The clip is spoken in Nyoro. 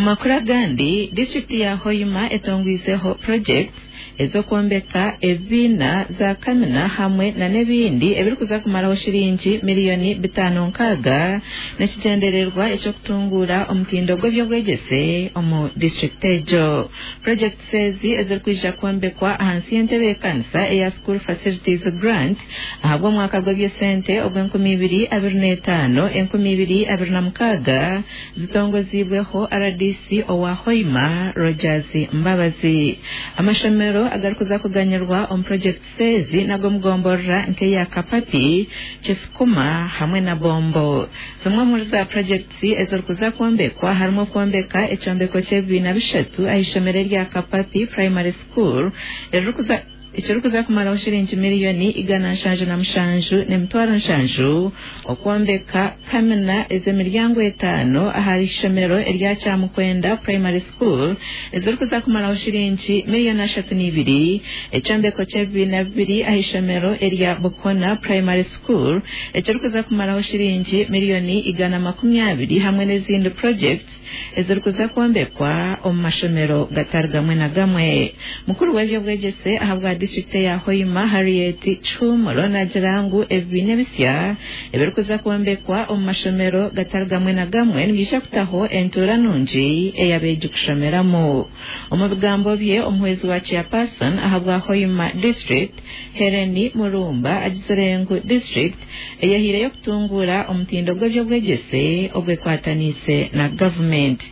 Omu makuru agandi, disiturikiti ya Hoima etongwizeho projects ez'okwombeka ebibiina, za kamina hamwe na n'ebindi ebirikuza kumaraho shiringi 560 miliyoni n'ekigyendererwa eky'okutunguura omutindo gw'ebyobwegyese omu disiturikiti egyo. Projects ezi ezirikwija kwombekwa ahansi y'entebeekanisa eya School Facilities Grant ahabw'omwaka gw'eby'esente ogw'e 2025 2026 zitongoziibweho RDC owa Hoima, Rogers Mbabazi. Amashomero agarikuza kuganyirwa omu projects ezi n'ag'omugomborora nk'eya Kapapi, Kisukuma hamwe na Bombo. Zimwe omuri za projects ezirikuza kwombekwa harimu okwombeka ekyombeko ky'ebibiina bishatu aha ishomero erya Kapapi Primary School eririkuza ekirikuza kumaraho shiringi 177,700,000, okwombeka kamina ez'emiryango etaano aha ishomero erya Kyamukwenda Primary School ezirikuza kumaraho shiringi 32 miliyoni, ekyombeko ky'ebibiina bibiri aha ishomero erya Bukona Primary School ekirikuza kumaraho shiringi 120 miliyoni hamwe n'ezindi projects ezirikuza kwombekwa omu mashomero gatari gamwe na gamwe. Mukuru w'ebyobwegyese ahabwa disiturikiti eya Hoima, Harriet Kihumuro, nagira ngu ebibiina ebisya ebirikuza kwombekwa omu mashomero gatari gamwe na gamwe nibyija kutaho entuura nungi ey'abeegi kushomeramu. Omu bigambo bye, omuhwezi wa chairperson ahabwa Hoima District, Helen Murumba, agizire ngu district eyehiireyo kutunguura omutindo gw'ebyobwegyese obwekwataniise na gavumenti.